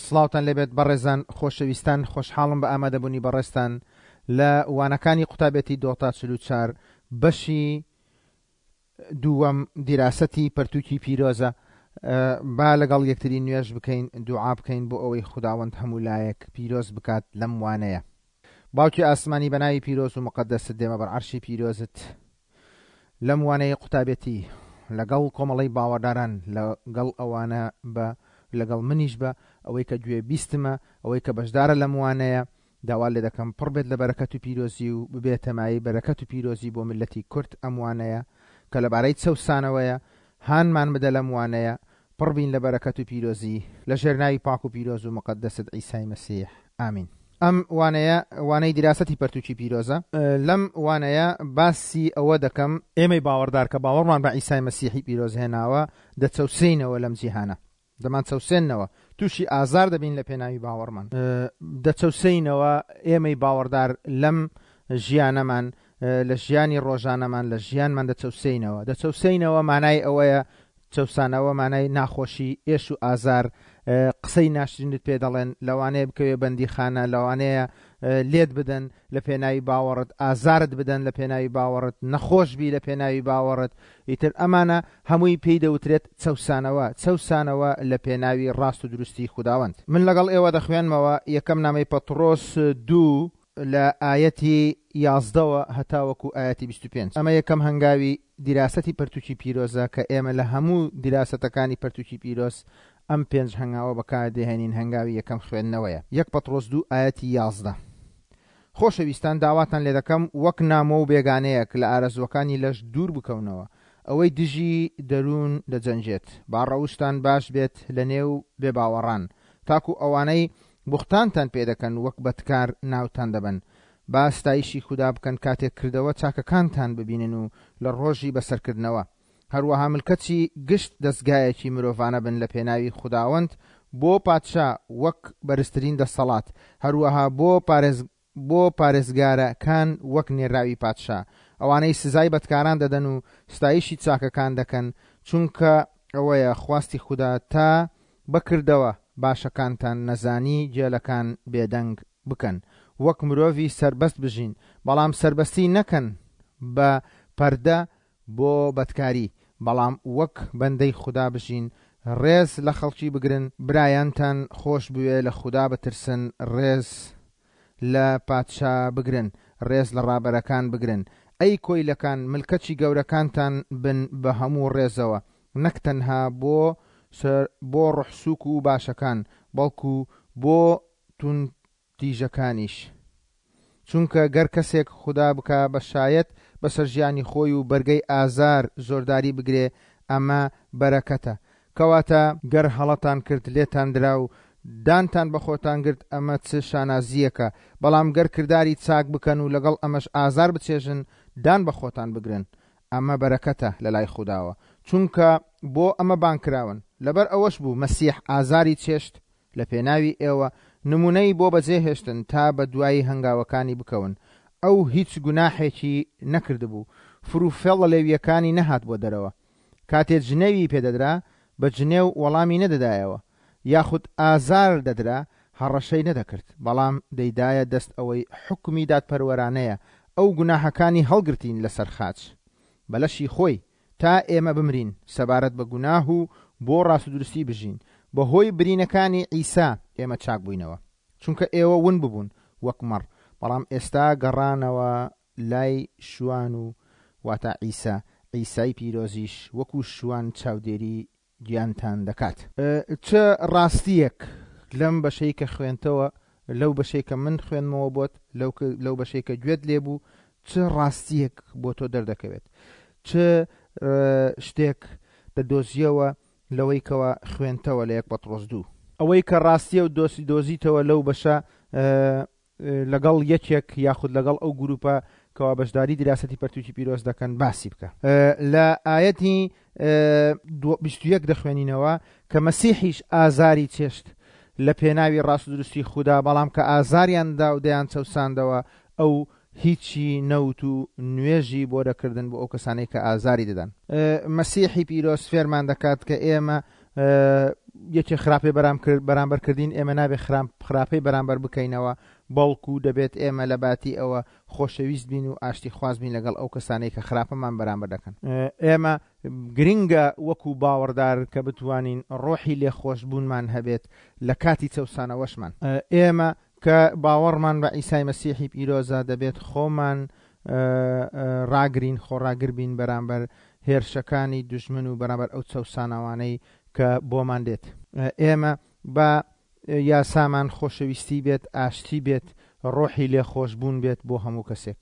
سڵاوتان لێبێت بەڕێزان خۆشەویستان خۆشحاڵم بە ئامادەبوونی بەڕێزتان لە وانەکانی قوتابێتی دۆتا 44 بەشی دووەم دیراسەتی پەرتوکی پیرۆزە با لەگەڵ یەکتری نوێژ بکەین دوعا بکەین بۆ ئەوەی خوداوەند هەموو لایەک پیرۆز بکات لەم وانەیە باوکی ئاسمانی بە ناوی پیرۆز و مقدست دێمە بەر عەرشی پیرۆزت لەم وانەیە قوتابێتی لەگەڵ کۆمەڵەی باوەڕداران لەگەڵ ئەوانە بە لەگەڵ منیش بە ئەوەی کە گوێ بیستمە ئەوەی کە بەشدارە لەم وانەیە داوا لێ دەکەم پڕ بێت لە بەرەکەت و پیرۆزی و ببێتە مایەی بەرەکەت و پیرۆزی بۆ میللەتی کورد ئەم وانەیە کە لەبارەی چەوسانەوەیە هانمان بدە لەم وانەیە پڕ بین لە بەرەکەت و پیرۆزی لە ژێر ناوی پاک و پیرۆز و موقەدەست عیسای مەسیح ئامین. ئەم وانەیە وانەی دیراسەتی پەرتوکی پیرۆزە. لەم وانەیە باسی ئەوە دەکەم. ئێمەی باوەڕدار کە باوەڕمان بە عیسای مەسیحی پیرۆز هێناوە دەچەوسێینەوە لەم جیهانە. دەمانچەوسێننەوە، تووشی ئازار دەبین لە پێناوی باوەڕمان. دەچەوسێینەوە، ئێمەی باوەڕدار لەم ژیانەمان، لە ژیانی ڕۆژانەمان، لە ژیانمان دەچەوسێینەوە. دەچەوسێینەوە مانای ئەوەیە، چەوسانەوە مانای ناخۆشی، ئێش و ئازار، قسەی ناشرینت پێ دەڵێن، لەوانەیە بکەویە بەندیخانە، لەوانەیە لێت بدەن لە پێناوی باوەڕت، ئازارت بدەن لە پێناوی باوەڕت، نەخۆش بی لە پێناوی باوەڕت، ئیتر ئەمانە هەمووی پێی دەوترێت چەوسانەوە، چەوسانەوە لە پێناوی ڕاست و دروستی خوداوەند. من لەگەڵ ئێوە دەخوێنمەوە یەکەم نامەی پەتڕۆس دوو لە ئایەتی یازدەوە هەتاوەکو ئایەتی 25. ئەمە یەکەم هەنگاوی دیراسەتی پەرتوکی پیرۆزە کە ئێمە لە هەموو دیراسەتەکانی پەرتوکی پیرۆز ئەم پێنج هەنگاوە بەکاردەهێنین هەنگاوی یەکەم خوێندنەوەیە. یەک پەتڕۆس دوو ئایەتی 11. خۆشەویستان داواتان لێدەکەم وەک نامۆ و بێگانەیەک لە ئارەزووەکانی لەش دوور بکەونەوە، ئەوەی دژی دەروون دەجەنگێت، با ڕەوشتان باش بێت لەنێو بێباوەڕان، تاکو ئەوانەی بوختانتان پێدەکەن وەک بەدکار ناوتان دەبەن. با ستایشی خودا بکەن کاتێک کردەوە چاکەکانتان ببینن و لە ڕۆژی بەسەرکردنەوە. هەروەها ملکەچی گشت دەزگایەکی مرۆڤانە بن لە پێناوی خوداوەند بۆ پادشا وەک بەرزترین دەسەڵات، هەروەها بۆ بۆ پارێزگارەکان وەک نێرراوی پادشا، ئەوانەی سزای بەدکاران دەدەن و ستایشی چاکەکان دەکەن، چونکە ئەوەیە خواستی خودا تا بە کردەوە باشەکانتان نەزانی گێلەکان بێدەنگ بکەن، وەک مرۆڤی سەربەست بژین، بەڵام سەربەستی نەکەن بە پەردە بۆ بەدکاری، بەڵام وەک بەندەی خودا بژین، ڕێز لە خەڵکی بگرن، برایانتان خۆش بوێ، لە خودا بترسن، ڕێز لە پادشا بگرن، ڕێز لە ڕابەرەکان بگرن. ئەی کۆیلەکان، ملکەچی گەورەکانتان بن بە هەموو ڕێزەوە، نەک تەنها بۆ بۆ ڕۆحسووک و باشەکان، بەڵکو بۆ توند تیژەکانیش. چونکە گەر کەسێک خودا بکا بە شایەت بەسەر ژیانی خۆی و بەرگەی ئازار زۆرداری بگرێ ئەمە بەرەکەتە. کەواتە گەر هەڵەتان کرد لێتان درا و دانتان بە خۆتان گرت ئەمە چ شانازییەکە، بەڵام گەر کرداری چاک بکەن و لەگەڵ ئەمەش ئازار بچێژن دان بە خۆتان بگرن ئەمە بەرەکەتە لەلای خوداوە چونکە بۆ ئەمە بانگ کراون. لەبەر ئەوەش بوو مەسیح ئازاری چێشت لە پێناوی ئێوە نموونەی بۆ بەجێ هێشتن تا بە دوای هەنگاوەکانی بکەون. ئەو هیچ گوناحێکی نەکردبوو، فروفێڵ لە لێوییەکانی نەهاتبووە دەرەوە. کاتێ جنێوی پێ دەدرا، بە جنێو وەڵامی نەدەدایەوە، یاخود ئازار دەدرا، هەڕەشەی نەدەکرد، بەڵام دەیدایە دەست ئەوەی حوکمی دادپەروەرانەیە، ئەو گوناحەکانی هەڵگرتین لەسەر خاچ بە لەشی خۆی، تا ئێمە بمرین سەبارەت بە گوناه و بۆ ڕاستودروستی بژین، بەهۆی برینەکانی عیسا ئێمە چاک بووینەوە. چونکە ئێوە ون ببوون وەک مەڕ، بەڵام ئێستا گەڕانەوە لای شوان و واتا عیسا، عیسای پیرۆزیش وەکو شوان چاودێری گیانتان دەکات. چ ڕاستییەک لەم بەشەی کە خوێندتەوە، لەو بەشەی کە من خوێندمەوە بۆت، لەو بەشەی کە گوێت لێ بوو، چ ڕاستییەک بۆ تۆ دەردەکەوێت؟ چ شتێک دەدۆزییەوە لەوەی کەوا خوێندتەوە لە یەک پەتڕۆس دوو؟ ئەوەی کە ڕاستییە و دۆزیتەوە لەو بەشە لەگەڵ یەکێک یاخود لەگەڵ ئەو گروپە کەوا بەشداری دیراسەتی پەرتوکی پیرۆز دەکەن باسی بکە. لە ئایەتی 21 دەخوێنینەوە کە مەسیحیش ئازاری چێشت لە پێناوی ڕاست و دروستی خودا، بەڵام کە ئازاریان دا و دەیان چەوساندەوە ئەو هیچی نەوت و نوێژی بۆ دەکردن بۆ ئەو کەسانەی کە ئازاری دەدان. مەسیحی پیرۆز فێرمان دەکات کە ئێمە. یەکێ خراپەی بەرام کرد بەرامبەر کردین ئێمە نابێ خراپەی بەرامبەر بکەینەوە بەڵکو دەبێت ئێمە لە باتی ئەوە خۆشەویست بین و ئاشتی خواز بین لەگەڵ ئەو کەسانەی کە خراپەمان بەرامبەر دەکەن. ئێمە گرنگە وەکو باوەڕدار کە بتوانین ڕۆحی لێخۆشبوونمان هەبێت لە کاتی چەوسانەوەشمان. ئێمە کە باوەڕمان بە عیسای مەسیحی پیرۆزە دەبێت خۆمان ڕاگرین، خۆڕاگر بین بەرامبەر هێرشەکانی دوژمن و بەرامبەر ئەو چەوسانەوانەی کە بۆمان دێت. ئێمە با یاسامان خۆشەویستی بێت، ئاشتی بێت، ڕۆحی لێخۆشبوون بێت بۆ هەموو کەسێک.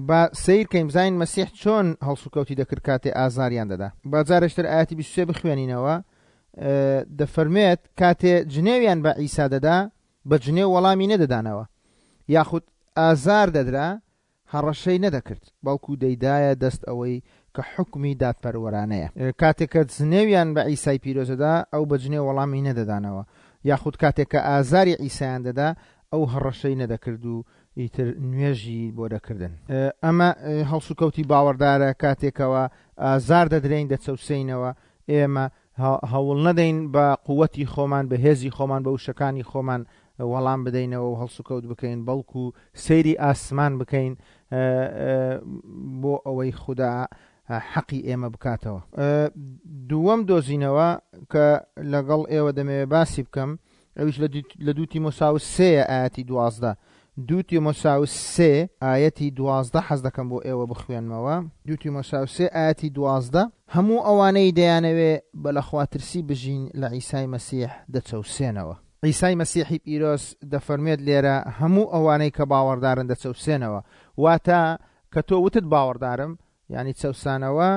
با سەیر کەین بزانین مەسیح چۆن هەڵسوکەوتی دەکرد کاتێ ئازاریان دەدا. با جارێکی تر ئایەتی 23 بخوێنینەوە، دەفەرموێت، کاتێ جنێویان بە عیسا دەدا، بە جنێو وەڵامی نەدەدانەوە، یاخود ئازار دەدرا، هەڕەشەی نەدەکرد، بەڵکو دەیدایە دەست ئەوەی کە حوکمی دادپەروەرانەیە. کاتێک کە جنێویان بە عیسای پیرۆز دەدا، ئەو بە جنێو وەڵامی نەدەدانەوە، یاخود کاتێک کە ئازاری عیسایان دەدا، ئەو هەڕەشەی نەدەکرد و ئیتر نوێژی بۆ دەکردن. ئەمە هەڵسوکەوتی باوەڕدارە، کاتێکەوە ئازار دەدرێین، دەچەوسێینەوە، ئێمە هەوڵ نەدەین بە قوتی خۆمان، بە هێزی خۆمان، بە وشەکانی خۆمان وەڵام بدەینەوە و هەڵسوکەوت بکەین، بەڵکو سەیری ئاسمان بکەین بۆ ئەوەی خودا حەقی ئێمە بکاتەوە. دووەم دۆزینەوە کە لەگەڵ ئێوە دەمەوێت باسی بکەم ئەویش لە دوو تیمۆساوس سێیە ئایەتی 12. دوو تیمۆساوس سێ ئایەتی 12 حەز دەکەم بۆ ئێوە بخوێنمەوە. دوو تیمۆساوس سێ ئایەتی 12، هەموو ئەوانەی دەیانەوێ بە لەخواترسی بژین لە عیسای مەسیح دەچەوسێنەوە. عیسای مەسیحی پیرۆز دەفەرموێت لێرە هەموو ئەوانەی کە باوەڕدارن دەچەوسێنەوە. واتە کە تۆ وتت باوەڕدارم، یانی چەوسانەوە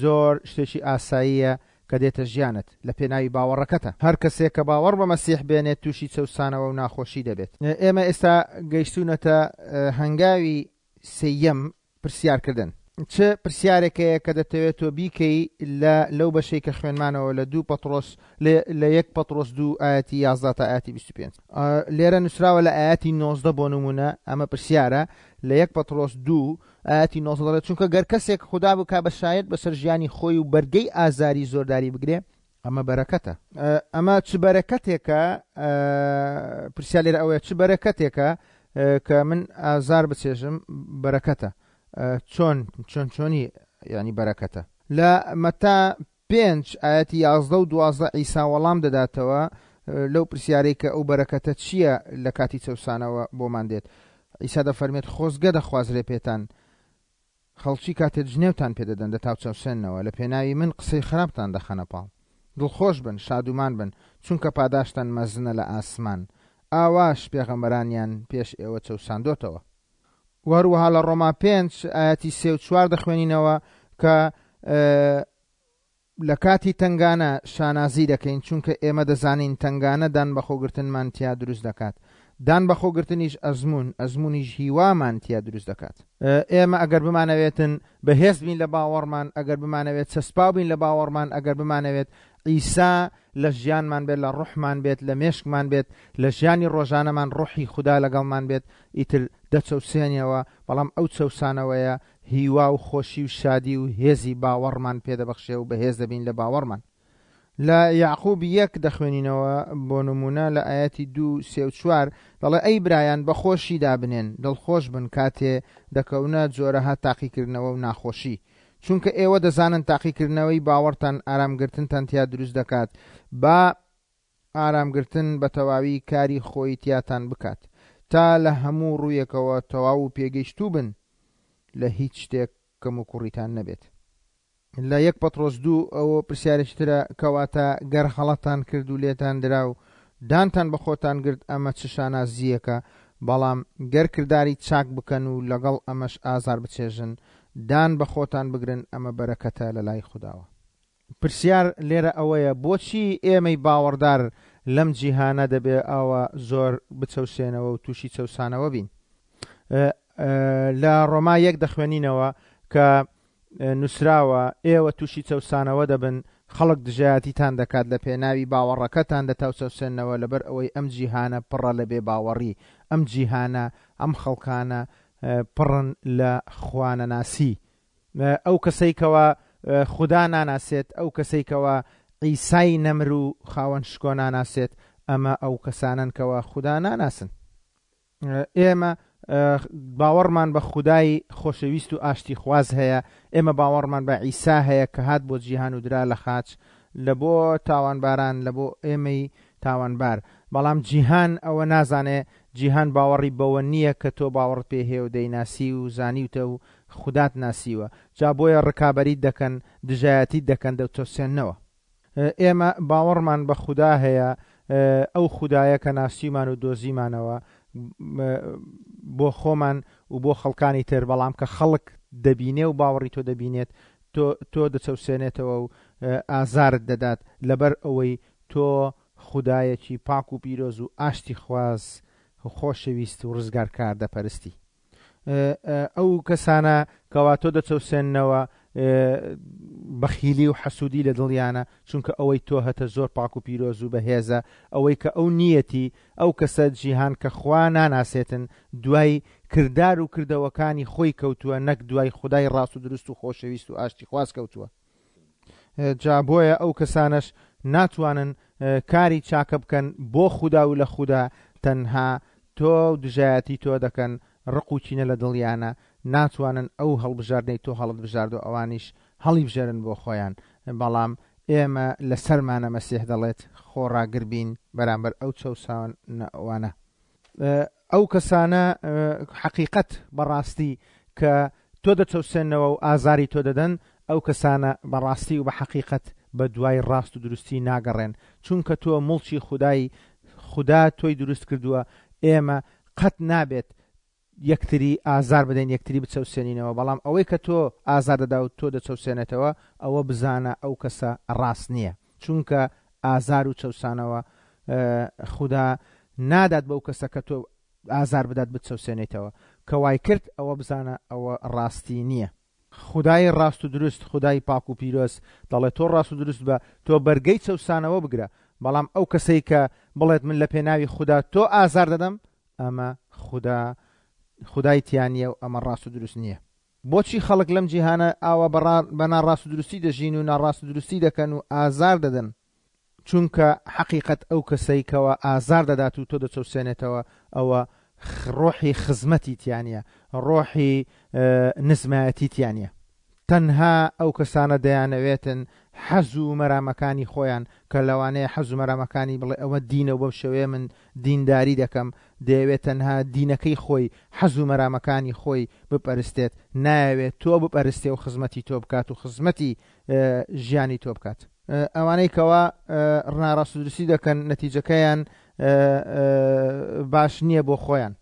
زۆر شتێکی ئاساییە کە دێتە ژیانت لە پێناوی باوەڕەکەتە. هەر کەسێک کە باوەڕ بە مەسیح بێنێت تووشی چەوسانەوە و ناخۆشی دەبێت. ئێمە ئێستا گەیشتوونەتە هەنگاوی سێیەم، پرسیارکردن. چ پرسیارێک هەیە کە دەتەوێت تۆ بیکەی لە لەو بەشەی کە خوێنمانەوە لە دوو پەتڕۆس لە یەک پەتڕۆس دوو ئایەتی 11 تا ئایەتی 25. لێرە نووسراوە لە ئایەتی 19 بۆ نمونە ئەمە پرسیارە لە یەک پەتڕۆس دوو ئایەتی 19 دەڵێت چونکە گەر کەسێک خودا بکا بە شایەت بەسەر ژیانی خۆی و بەرگەی ئازاری زۆرداری بگرێ ئەمە بەرەکەتە. ئەمە چ بەرەکەتێکە؟ پرسیار لێرە ئەوەیە چ بەرەکەتێکە کە من ئازار بچێژم بەرەکەتە؟ چۆن چۆن چۆنی یعنی بەرەکەتە؟ لە مەتا پێنج ئایەتی یازدە و دوازدە عیسا وەڵام دەداتەوە لەو پرسیارەی کە ئەو بەرەکەتە چییە لە کاتی چەوسانەوە بۆمان دێت. عیسا دەفەرمێت خۆزگە دەخوازرێ پێتان خەڵکی کاتێ جنێوتان پێ دەدەن دەتاوچەوسێننەوە، لە پێناوی من قسەی خراپتان دەخەنە پاڵ. دڵخۆش بن، شادومان بن، چونکە پاداشتان مەزنە لە ئاسمان. ئاواش پێغەمبەرانیان پێش ئێوە چەوساندۆتەوە. وە هەروەها لە ڕۆما پێنج ئایەتی سێ و چوار دەخوێنینەوە کە لە کاتی تەنگانە شانازی دەکەین، چونکە ئێمە دەزانین تەنگانە دانبەخۆگرتنمان تیا دروست دەکات، دانبەخۆگرتنیش ئەزموون، ئەزموونیش هیوامان تیا دروست دەکات. ئێمە ئەگەر بمانەوێتن بەهێز بین لە باوەڕمان، ئەگەر بمانەوێت چەسپاو بین لە باوەڕمان، ئەگەر بمانەوێت عیسا لە ژیانمان بێت، لە ڕۆحمان بێت، لە مێشکمان بێت، لە ژیانی ڕۆژانەمان ڕۆحی خودا لەگەڵمان بێت، ئیتر دەچەوسێنیەوە، بەڵام ئەو چەوسانەوەیە هیوا و خۆشی و شادی و هێزی باوەڕمان پێدەبەخشێ و بەهێز دەبین لە باوەڕمان. لە یەعقوب یەک دەخوێنینەوە بۆ نموونە لە ئایەتی دوو، سێ و چوار دەڵێ ئەی برایان بە خۆشی دابنێن، دڵخۆش بن کاتێ دەکەونە جۆرەها تاقیکردنەوە و ناخۆشی، چونکە ئێوە دەزانن تاقیکردنەوەی باوەڕتان ئارامگرتنتان تیا دروست دەکات، با ئارامگرتن بە تەواوی کاری خۆی تیاتان بکات، تا لە هەموو ڕوویەکەوە تەواو و پێگەیشتوو بن، لە هیچ شتێک کەموکوڕیتان نەبێت. لە یەک پەتڕۆس دوو ئەوە پرسیارێکی ترە، کەواتە گەر هەڵەتان کرد و لێتان درا و دانتان بە خۆتان گرت ئەمە چ شانازییەکە، بەڵام گەر کرداری چاک بکەن و لەگەڵ ئەمەش ئازار بچێژن، دان بە خۆتان بگرن ئەمە بەرەکەتە لەلای خوداوە. پرسیار لێرە ئەوەیە بۆچی ئێمەی باوەڕدار لەم جیهانە دەبێ ئاوا زۆر بچەوسێنەوە و تووشی چەوسانەوە بین؟ لە ڕۆما یەک دەخوێنینەوە کە نووسراوە ئێوە تووشی چەوسانەوە دەبن، خەڵک دژایەتیتان دەکات لە پێناوی باوەڕەکەتان دەتاوچەوسێننەوە لەبەر ئەوەی ئەم جیهانە پڕە لە بێ باوەڕی، ئەم جیهانە ئەم خەڵکانە پڕن لە خوانەناسی، ئەو کەسەی کەوا خودا ناناسێت، ئەو کەسەی کەوا عیسای نەمر و خاوەن شکۆ ناناسێت، ئەمە ئەو کەسانەن کەوا خودا ناناسن. ئێمە باوەڕمان بە خودای خۆشەویست و ئاشتیخواز هەیە، ئێمە باوەڕمان بە عیسا هەیە کە هات بۆ جیهان و درا لە خاچ لە بۆ تاوانباران، لە بۆ ئێمەی تاوانبار. بەڵام جیهان ئەوە نازانێ، جیهان باوەڕی بەوە نییە کە تۆ باوەڕت پێ هەیە و دەیناسی و زانیوتە و خودات ناسیوە. جا بۆیە ڕکابەریت دەکەن، دژایەتیت دەکەن، دەتچەوسێننەوە. ئێمە باوەڕمان بە خودا هەیە، ئەو خودایە کە ناسیومان و دۆزیمانەوە بۆ خۆمان و بۆ خەڵکانی تر، بەڵام کە خەڵک دەبینێ و باوەڕی تۆ دەبینێت، تۆ تۆ دەچەوسێنێتەوە و ئازارت دەدات، لەبەر ئەوەی تۆ خودایەکی پاک و پیرۆز و ئاشتیخواز و خۆشەویست و ڕزگارکار دەپەرستی. ئەو کەسانە کەوا تۆ دەچەوسێننەوە بەخیلی و حەسوودی لە دڵیانە، چونکە ئەوەی تۆ هەتە زۆر پاک و پیرۆز و بەهێزە، ئەوەی کە ئەو نییەتی، ئەو کەسە جیهان کە خوا ناناسێتن دوای کردار و کردەوەکانی خۆی کەوتووە نەک دوای خودای ڕاست و دروست و خۆشەویست و ئاشتیخواز کەوتووە. جا بۆیە ئەو کەسانەش ناتوانن کاری چاکە بکەن بۆ خودا و لە خودا، تەنها تۆ و دژایەتی تۆ دەکەن، ڕق و کینە لە دڵیانە، ناتوانن ئەو هەڵبژاردنەی تۆ هەڵتبژاردوە ئەوانیش هەڵیبژێرن بۆ خۆیان، بەڵام ئێمە لەسەرمانە مەسیح دەڵێت خۆڕاگر بین بەرامبەر ئەو چەوسانەوانە. ئەو کەسانە حەقیقەت بەڕاستی کە تۆ دەچەوسێنەوە و ئازاری تۆ دەدەن، ئەو کەسانە بەڕاستی و بە حەقیقەت بە دوای ڕاست و دروستی ناگەڕێن، چونکە تۆ موڵکی خودای، خودا تۆی دروست کردووە، ئێمە قەت نابێت یەکتری ئازار بدەین، یەکتری بچەوسێنینەوە، بەڵام ئەوەی کە تۆ ئازار دەدا و تۆ دەچەوسێنێتەوە، ئەوە بزانە ئەو کەسە ڕاست نییە، چونکە ئازار و چەوسانەوە خودا نادات بەو کەسە کە تۆ ئازار بدات بتچەوسێنیتەوە، کە وای کرد ئەوە بزانە ئەوە ڕاستی نییە. خودای ڕاست و دروست، خودای پاک و پیرۆز دەڵێت تۆ ڕاست و دروست بە، تۆ بەرگەی چەوسانەوە بگرە، بەڵام ئەو کەسەی کە بڵێت من لە پێناوی خودا تۆ ئازار دەدەم، ئەمە خودا خودای تیا نییە و ئەمە ڕاست و دروست نییە. بۆچی خەڵک لەم جیهانە ئاوا بە ناڕاست و دروستی دەژین و ناڕاست و دروستی دەکەن و ئازار دەدەن؟ چونکە حەقیقەت ئەو کەسەی کەوا ئازار دەدات و تۆ دەچەوسێنێتەوە ئەوە ڕۆحی خزمەتی تیا نیە، ڕۆحی نزمایەتی تیا نیە. تەنها ئەو کەسانە دەیانەوێتن حەز و مەرامەکانی خۆیان کە لەوانەیە حەز و مەرامەکانی بڵێ ئەوە دینە و بەم شێوەیە من دینداری دەکەم، دەیەوێت تەنها دینەکەی خۆی حەز و مەرامەکانی خۆی بپەرستێت، نایەوێت تۆ بپەرستێ و خزمەتی تۆ بکات و خزمەتی ژیانی تۆ بکات. ئەوانەی کەوا ناڕاستودروستی دەکەن نەتیجەکەیان باش نییە بۆ خۆیان.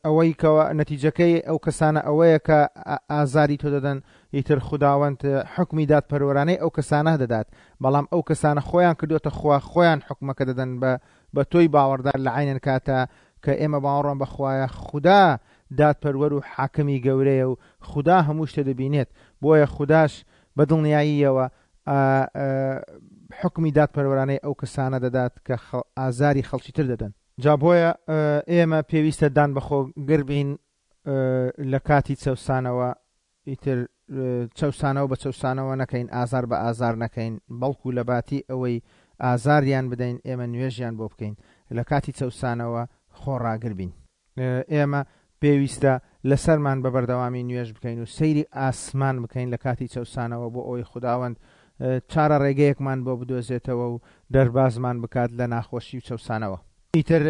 ئەوەی کەوا نەتیجەکەی ئەو کەسانە ئەوەیە کە ئازاری تۆ دەدەن، ئیتر خوداوەند حوکمی دادپەروەرانەی ئەو کەسانە دەدات، بەڵام ئەو کەسانە خۆیان کردۆتە خوا، خۆیان حوکمەکە دەدەن بە بە تۆی باوەڕدار لە عەینەن کاتە کە ئێمە باوەڕمان بە خوایە، خودا دادپەروەر و حاکمی گەورەیە و خودا هەموو شتێ دەبینێت، بۆیە خوداش بە دڵنیاییەوە حوکمی دادپەروەرانەی ئەو کەسانە دەدات کە ئازاری خەڵکی تر دەدەن. جا بۆیە ئێمە پێویستە دان بەخۆگر بین لە کاتی چەوسانەوە، ئیتر چەوسانەوە بە چەوسانەوە نەکەین، ئازار بە ئازار نەکەین، بەڵکو لە باتی ئەوەی ئازاریان بدەین ئێمە نوێژیان بۆ بکەین، لە کاتی چەوسانەوە خۆڕاگر بین. ئێمە پێویستە لەسەرمان بە بەردەوامی نوێژ بکەین و سەیری ئاسمان بکەین لە کاتی چەوسانەوە بۆ ئەوەی خوداوەند چارە ڕێگەیەکمان بۆ بدۆزێتەوە و دەربازمان بکات لە ناخۆشی و چەوسانەوە. ئیتر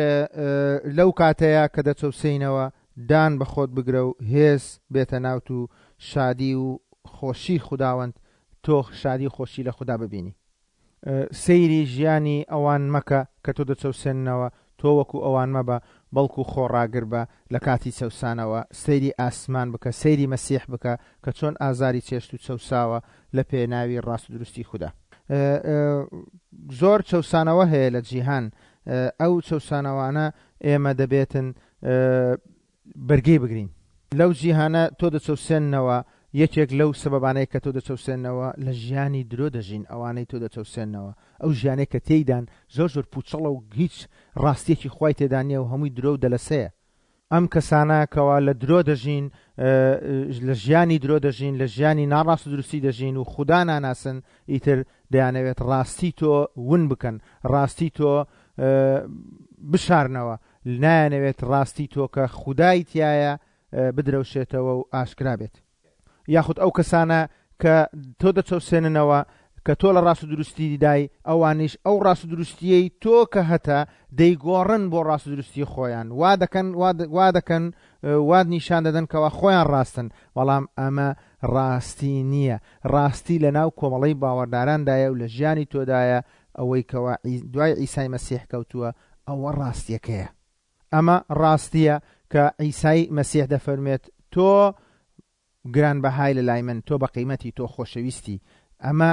لەو کاتەیا کە دەچەوسێینەوە دان بە خۆت بگرە و هێز بێتە ناوت و شادی و خۆشی خوداوەند تۆ شادی و خۆشی لە خودا ببینی. سەیری ژیانی ئەوان مەکە کە تۆ دەچەوسێننەوە، تۆ وەکو ئەوان مەبە، بەڵکو خۆڕاگر بە لە کاتی چەوسانەوە، سەیری ئاسمان بکە، سەیری مەسیح بکە کە چۆن ئازاری چێشت و چەوساوە لە پێناوی ڕاست و دروستی خودا. زۆر چەوسانەوە هەیە لە جیهان، ئەو چەوسانەوانە ئێمە دەبێتن بەرگەی بگرین. لەو جیهانە تۆ دەچەوسێننەوە، یەکێک لەو سەبەبانەی کە تۆ دەچەوسێننەوە لە ژیانی درۆ دەژین، ئەوانەی تۆ دەچەوسێننەوە ئەو ژیانەی کە تێیدان زۆر زۆر پوچەڵە و هیچ ڕاستیەکی خوای تێدا نیە و هەمووی درۆ و دەلەسەیە. ئەم کەسانە کەوا لە درۆ دەژین، لە ژیانی درۆ دەژین، لە ژیانی ناڕاست و دروستی دەژین و خودا ناناسن، ئیتر دەیانەوێت ڕاستی تۆ ون بکەن، ڕاستی تۆ بشارنەوە، نایانەوێت ڕاستی تۆ کە خودای تیایە بدرەوشێتەوە و ئاشکرا بێت. یاخود ئەو کەسانە کە تۆ دەچەوسێننەوە کە تۆ لە ڕاست و دروستی دای، ئەوانیش ئەو ڕاست و دروستیەی تۆ کە هەتە دەیگۆڕن بۆ ڕاست و دروستی خۆیان، وا دەکەن وا دەکەن وات نیشان دەدەن کەوا خۆیان ڕاستن، بەڵام ئەمە ڕاستی نییە، ڕاستی لە ناو کۆمەڵەی باوەڕداراندایە و لە ژیانی تۆدایە، ئەوەی کەوا دوای عیسای مەسیح کەوتووە ئەوە ڕاستیەکەیە. ئەمە ڕاستییە کە عیسای مەسیح دەفەرموێت، تۆ گرانبەهای لە لای من، تۆ بەقیمەتی، تۆ خۆشەویستی. ئەمە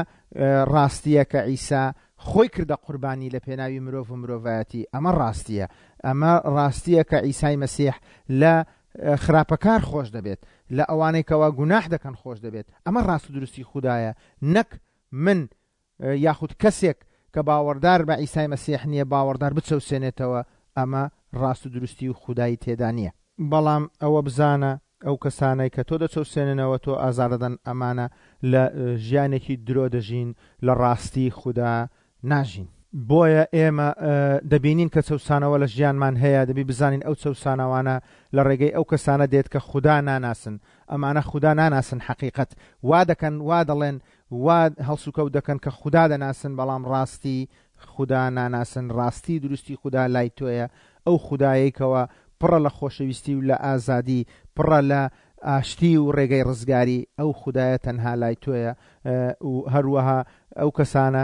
ڕاستییە کە عیسا خۆی کردە قوربانی لە پێناوی مرۆڤ و مرۆڤایەتی. ئەمە ڕاستییە. ئەمە ڕاستییە کە عیسای مەسیح لە خراپەکار خۆش دەبێت، لە ئەوانەی کەوا گوناح دەکەن خۆش دەبێت. ئەمە ڕاست و دروستی خودایە، نەک من یاخود کەسێک کە باوەڕدار بە عیسای مەسیح نییە باوەڕدار بچەوسێنێتەوە، ئەمە ڕاست و دروستی و خودای تێدا نییە. بەڵام ئەوە بزانە ئەو کەسانەی کە تۆ دەچەوسێننەوە تۆ ئازار دەدەن ئەمانە لە ژیانێکی درۆ دەژین لە ڕاستی خودا ناژین. بۆیە ئێمە دەبینین کە چەوسانەوە لە ژیانمان هەیە، دەبی بزانین ئەو چەوسانەوانە لە ڕێگەی ئەو کەسانە دێت کە خودا ناناسن، ئەمانە خودا ناناسن حەقیقەت وا دەکەن وا دەڵێن وا هەڵسوکەوت دەکەن کە خودا دەناسن بەڵام ڕاستی خودا ناناسن، ڕاستی دروستی خودا لای تۆیە، ئەو خودایەی کەوا پڕە لە خۆشەویستی و لە ئازادی، پڕە لە ئاشتی و ڕێگەی ڕزگاری، ئەو خودایە تەنها لای تۆیە و هەروەها ئەو کەسانە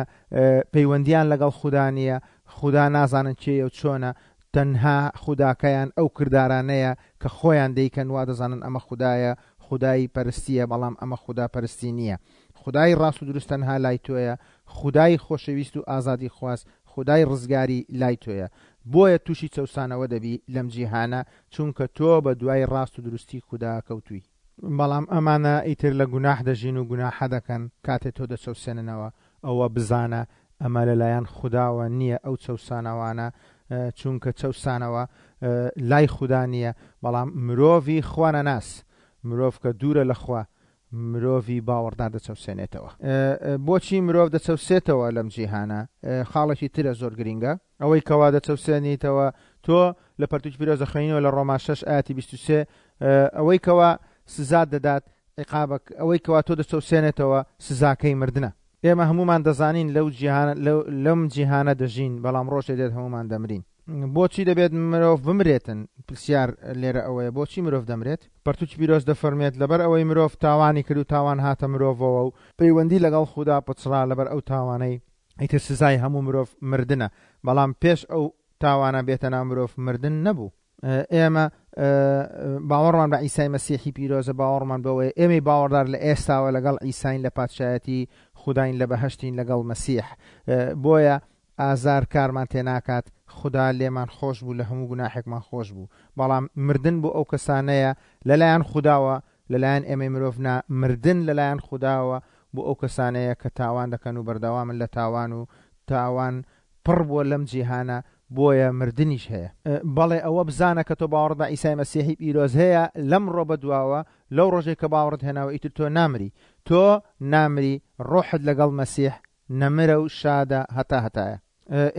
پەیوەندیان لەگەڵ خودا نییە، خودا نازانن کێیە و چۆنە، تەنها خوداکەیان ئەو کردارانەیە کە خۆیان دەیکەن وا دەزانن ئەمە خودایە، خودای پەرستیە بەڵام ئەمە خودا پەرستی نییە. خودای ڕاست و دروست تەنها لای تۆیە، خودای خۆشەویست و ئازادیخواز، خودای ڕزگاری لای تۆیە. بۆیە تووشی چەوسانەوە دەبی لەم جیهانە چونکە تۆ بە دوای ڕاست و دروستی خودا کەوتووی. بەڵام ئەمانە ئیتر لە گوناح دەژین و گوناحە دەکەن، کاتێ تۆ دەچەوسێننەوە ئەوە بزانە ئەمە لەلایەن خوداوە نییە ئەو چەوسانەوانە چونکە چەوسانەوە لای خودا نییە بەڵام مرۆڤی خوانەناس مرۆڤ کە دوورە لە خوا مرۆڤی باوەڕدار دەچەوسێنێتەوە. بۆچی مرۆڤ دەچەوسێتەوە لەم جیهانە؟ خاڵێکی ترە زۆر گرینگە. ئەوەی کەوا دەچەوسێنیتەوە تۆ لە پەرتوکی پیرۆز دەخوێنینەوە لە ڕۆما 6 ئایەتی 23 ئەوەی کەوا سزات دەدات عیقابەک ئەوەی کەوا تۆ دەچەوسێنێتەوە سزاکەی مردنە. ئێمە هەموومان دەزانین لەو جیهانە لەم جیهانە دەژین بەڵام ڕۆژێ دێت هەموومان دەمرین. بۆچی دەبێت مرۆڤ بمرێتن؟ پرسیار لێرە ئەوەیە بۆچی مرۆڤ دەمرێت؟ پەرتوکی پیرۆز دەفەرموێت لەبەر ئەوەی مرۆڤ تاوانی کرد و تاوان هاتە مرۆڤەوە و پەیوەندی لەگەڵ خودا پچڕا لەبەر ئەو تاوانەی ئیتر سزای هەموو مرۆڤ مردنە بەڵام پێش ئەو تاوانە بێتە ناو مرۆڤ مردن نەبوو. ئێمە باوەڕمان بە عیسای مەسیحی پیرۆزە، باوەڕمان بەوەیە ئێمەی باوەڕدار لە ئێستاوە لەگەڵ عیساین لە پادشایەتی خوداین لە بەهەشتین لەگەڵ مەسیح. بۆیە ئازار کارمان تێناکات، خودا لێمان خۆش بوو لە هەموو گوناحێکمان خۆش بوو. بەڵام مردن بۆ ئەو کەسانەیە لەلایەن خوداوە، لەلایەن ئێمەی مرۆڤ نا، مردن لەلایەن خوداوە بۆ ئەو کەسانەیە کە تاوان دەکەن و بەردەوامن لە تاوان و تاوان پڕ بووە لەم جیهانە بۆیە مردنیش هەیە. بەڵێ ئەوە بزانە کە تۆ باوەڕت بە عیسای مەسیحی پیرۆز هەیە لەمڕۆ بەدواوە لەو ڕۆژەی کە باوەڕت هێناوە ئیتر تۆ نامری تۆ نامری ڕۆحت لەگەڵ مەسیح نەمرە و شادە هەتا هەتایە.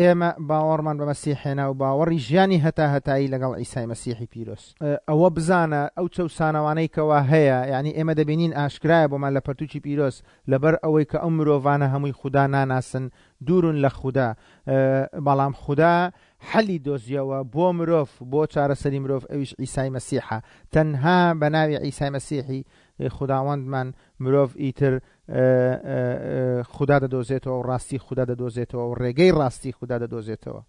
ئێمە باوەڕمان بە مەسیح هێنا و باوەڕی ژیانی هەتا هەتایی لەگەڵ عیسای مەسیحی پیرۆز. ئەوە بزانە ئەو چەوسانەوانەی کەوا هەیە یانی ئێمە دەبینین ئاشکرایە بۆمان لە پەرتوکی پیرۆز لەبەر ئەوەی کە ئەو مرۆڤانە هەمووی خودا ناناسن دوورن لە خودا بەڵام خودا حەلی دۆزیەوە بۆ مرۆڤ بۆ چارەسەری مرۆڤ ئەویش عیسای مەسیحە تەنها بە ناوی عیسای مەسیحی خوداوەندمان مرۆڤ ئیتر خودا دەدۆزێتەوە و ڕاستی خودا دەدۆزێتەوە و ڕێگەی ڕاستی خودا دەدۆزێتەوە.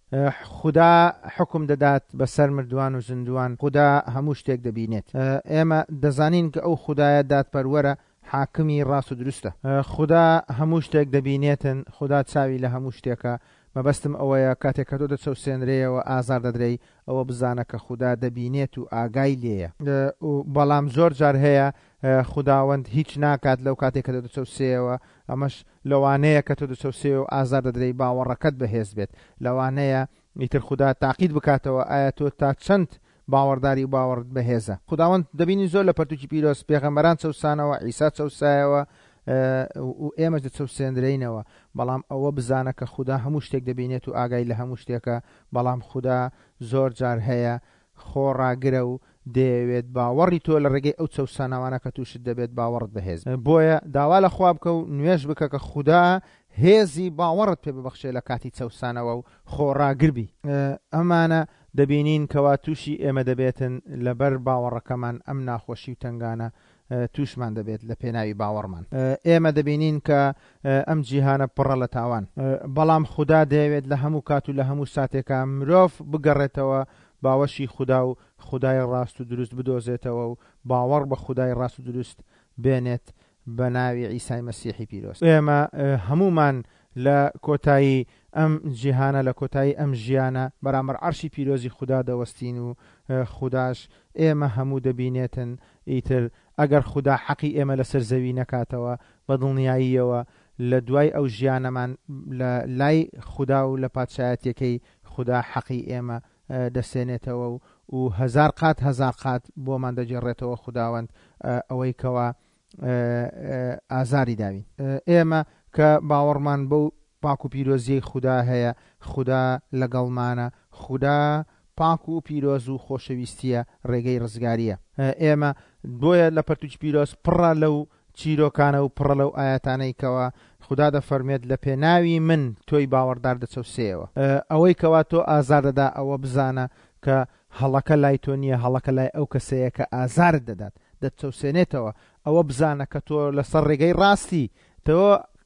خودا حوکم دەدات بەسەر مردووان و زیندووان، خودا هەموو شتێک دەبینێت. ئێمە دەزانین کە ئەو خودایە دادپەروەرە، حاکمی ڕاست و دروستە. خودا هەموو شتێک دەبینێتن، خودا چاوی لە هەموو شتێکە. مەبەستم ئەوەیە کاتێک کە تۆ دەچەوسێنرێیەوە، ئازار دەدرێی، ئەوە بزانە کە خودا دەبینێت و ئاگای لێیە. بەڵام زۆر جار هەیە خوداوەند هیچ ناکات لەو کاتەی کە تۆ دەچەوسێیەوە، ئەمەش لەوانەیە کە تۆ دەچەوسێیەوە و ئازار دەدرێی باوەڕەکەت بەهێز بێت. لەوانەیە ئیتر خودا تاقیت بکاتەوە ئایا تۆ تا چەند باوەڕداری و باوەڕت بەهێزە. خوداوەند دەبینین زۆر لە پەرتوکی پیرۆز پێغەمبەران چەوسانەوە، عیسا چەوسایەوە، و ئێمەش دەچەوسێندرێینەوە، بەڵام ئەوە بزانە کە خودا هەموو شتێک دەبینێت و ئاگای لە هەموو شتێکە، بەڵام خودا زۆر جار هەیە خۆڕاگرە و دەیەوێت باوەڕی تۆ لە ڕێگەی ئەو چەوسانەوانە کە تووشت دەبێت باوەڕت بەهێز بێت. بۆیە داوا لە خوا بکە و نوێژ بکە کە خودا هێزی باوەڕت پێ ببەخشێ لە کاتی چەوسانەوە و خۆڕاگر بی. ئەمانە دەبینین کەوا تووشی ئێمە دەبێتن لەبەر باوەڕەکەمان ئەم ناخۆشی و تەنگانە تووشمان دەبێت لە پێناوی باوەڕمان. ئێمە دەبینین کە ئەم جیهانە پڕە لە تاوان. بەڵام خودا دەیەوێت لە هەموو کات و لە هەموو ساتێکا مرۆڤ بگەڕێتەوە باوەشی خودا و خودای ڕاست و دروست بدۆزێتەوە و باوەڕ بە خودای ڕاست و دروست بێنێت بە ناوی عیسای مەسیحی پیرۆز. ئێمە هەموومان لە کۆتایی ئەم جیهانە، لە کۆتایی ئەم ژیانە بەرامبەر عەرشی پیرۆزی خودا دەوەستین و خوداش ئێمە هەموو دەبینێتن، ئیتر ئەگەر خودا حەقی ئێمە لەسەر زەوی نەکاتەوە، بە دڵنیاییەوە لە دوای ئەو ژیانەمان لە لای خودا و لە پادشایەتیەکەی خودا حەقی ئێمە دەسێنێتەوە و و هەزار قات هەزار قات بۆمان دەگێڕێتەوە خوداوەند ئەوەی کەوا ئازاری داوین. ئێمە کە باوەڕمان بەو پاک و پیرۆزیەی خودا هەیە، خودا لەگەڵمانە، خودا پاک و پیرۆز و خۆشەویستیە، ڕێگەی ڕزگاریە. ئێمە بۆیە لە پەرتوکی پیرۆز پڕە لەو چیرۆکانە و پڕە لەو ئایەتانەی کەوا خودا دەفەرموێت لە پێناوی من تۆی باوەڕدار دەچەوسێیەوە. ئەوەی کەوا تۆ ئازار دەدا ئەوە بزانە کە هەڵەکە لای تۆ نییە هەڵەکە لای ئەو کەسەیە کە ئازارت دەدات دەتچەوسێنێتەوە ئەوە بزانە کە تۆ لەسەر ڕێگەی ڕاستی تۆ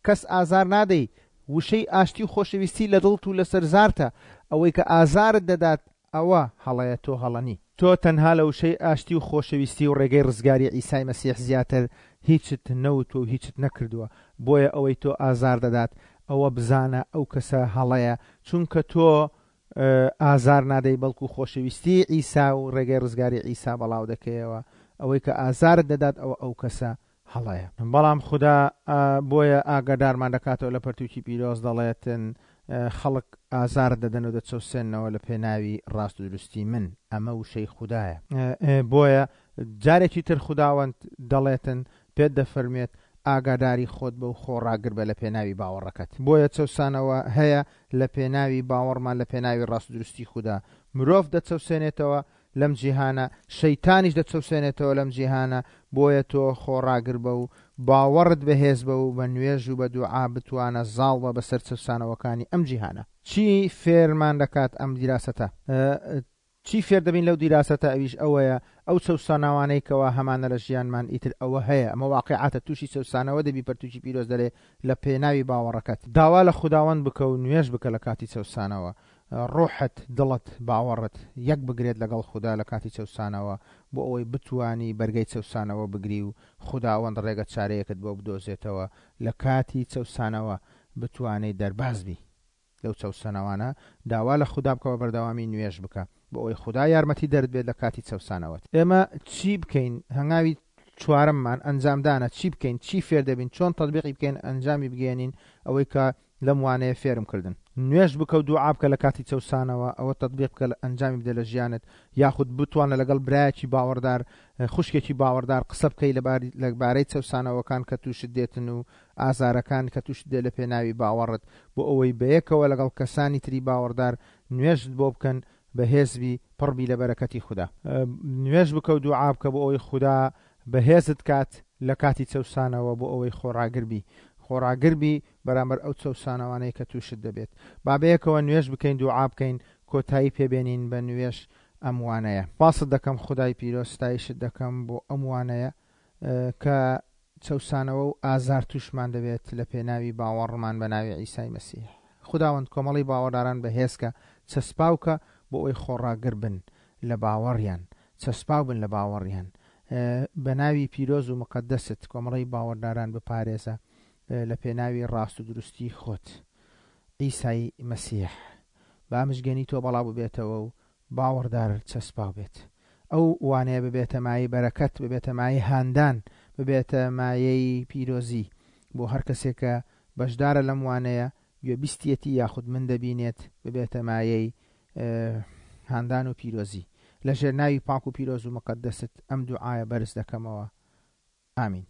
کەس ئازار نادەی وشەی ئاشتی و خۆشەویستی لە دڵت و لەسەر زارتە ئەوەی کە ئازارت دەدات ئەوە هەڵەیە تۆ هەڵە نی. تۆ تەنها لە وشەی ئاشتی و خۆشەویستی و ڕێگەی ڕزگاری عیسای مەسیح زیاتر هیچت نەوتوە و هیچت نەکردوە بۆیە ئەوەی تۆ ئازار دەدات ئەوە بزانە ئەو کەسە هەڵەیە چونکە تۆ ئازار نادەی بەڵکو خۆشەویستی عیسا و ڕێگەی ڕزگاری عیسا بەڵاو دەکەیەوە ئەوەی کە ئازارت دەدات ئەوە ئەو کەسە هەڵەیە بەڵام خودا بۆیە ئاگادارمان دەکاتەوە لە پەرتوکی پیرۆز دەڵێتن خەڵک ئازارت دەدەن و دەچەوسێنەوە لە پێناوی ڕاست و دروستی من ئەمە وشەی خودایە بۆیە جارێکی تر خوداوەند دەڵێتن پێت دەفەرموێت ئاگاداری خۆت بە و خۆڕاگر بە لە پێناوی باوەڕەکەت. بۆیە چەوسانەوە هەیە لە پێناوی باوەڕمان لە پێناوی ڕاست و دروستی خودا. مرۆڤ دەچەوسێنێتەوە لەم جیهانە، شەیتانیش دەچەوسێنێتەوە لەم جیهانە، بۆیە تۆ خۆڕاگر بە و باوەڕت بەهێز بە و بە نوێژ و بە دوعا بتوانە زاڵ بە بەسەر چەوسانەوەکانی ئەم جیهانە. چی فێرمان دەکات ئەم دیراسەتە؟ چی فێر دەبین لەو دیراسەتە ئەویش ئەوەیە ئەو چەوسانەوانەی کەوا هەمانە لە ژیانمان ئیتر ئەوە هەیە ئەمە واقیعاتە توشی چەوسانەوە دەبی پەرتوکی پیرۆز دەلێ لە پێناوی باوەڕەکەت داوا لە خوداوەند بکە و نوێژ بکە لە کاتی چەوسانەوە ڕۆحت دڵت باوەڕت یەک بگرێت لەگەڵ خودا لە کاتی چەوسانەوە بۆ ئەوەی بتوانی بەرگەی چەوسانەوە بگری و خوداوەند ڕێگە چارەیەکت بۆ بدۆزێتەوە لە کاتی چەوسانەوە بتوانی دەرباز بی. لەو چەوسەنەوانە داوا لە خودا بکە بە بەردەوامی نوێژ بکە بۆ ئەوەی خودا یارمەتی دەرت بێت لە کاتی چەوسانەوەت. ئێمە چی بکەین هەنگاوی چوارەممان ئەنجامدانە چی بکەین چی فێر دەبین چۆن تەتبیقی بکەین ئەنجامی بگەیەنین ئەوەی کە لەم وانەیە فێرم کردن. نوێژ بکە و دوعا بکە لە کاتی چەوسانەوە ئەوە تەتبیق بکە ئەنجامی بدە لە ژیانت یاخود بتوانە لەگەڵ برایەکی باوەڕدار خوشکێکی باوەڕدار قسە بکەی لە بارەی چەوسانەوەکان کە تووشت دێتن و ئازارەکان کە توشت دێ لە پێناوی باوەڕت بۆ ئەوەی بەیەکەوە لەگەڵ کەسانی تری باوەڕدار نوێژت بۆ بکەن بەهێز بی پڕ بی لە بەرەکەتی خودا. نوێژ بکە و دوعا بکە بۆ ئەوەی خودا بەهێزت کات لە کاتی چەوسانەوە بۆ ئەوەی خۆڕاگر بی خۆڕاگر بی بەرامبەر ئەو چەوسانەوانەی کە توشت دەبێت با بەیەکەوە نوێژ بکەین دوعا بکەین کۆتایی پێ بێنین بە نوێژ ئەم وانەیە. سپاست دەکەم خودای پیرۆز ستایشت دەکەم بۆ ئەم وانەیە کە چەوسانەوە و ئازار تووشمان دەبێت لە پێناوی باوەڕمان بە ناوی عیسای مەسیح. خوداوەند کۆمەڵی باوەڕداران بەهێز کە، چەسپاو کە بۆ ئەوەی خۆڕاگر بن لە باوەڕیان، چەسپاو بن لە باوەڕیان. بە ناوی پیرۆز و موقەدەست کۆمەڵی باوەڕداران بپارێزە لە پێناوی ڕاست و دروستی خۆت. عیسای مەسیح. با مژگێنی تۆ بەڵاو ببێتەوە و باوەڕدار چەسپاو بێت. ئەو وانەیە ببێتە مایەی بەرەکەت، ببێتە مایەی هاندان، ببێتە مایەی پیرۆزی بۆ هەر کەسێک کە بەشدارە لەم وانەیە، گوێبیستیەتی یاخود من دەبینێت، ببێتە مایەی هاندان و پیرۆزی. لە ژێر ناوی پاک و پیرۆز و موقەدەست ئەم دوعایە بەرز دەکەمەوە. ئامین.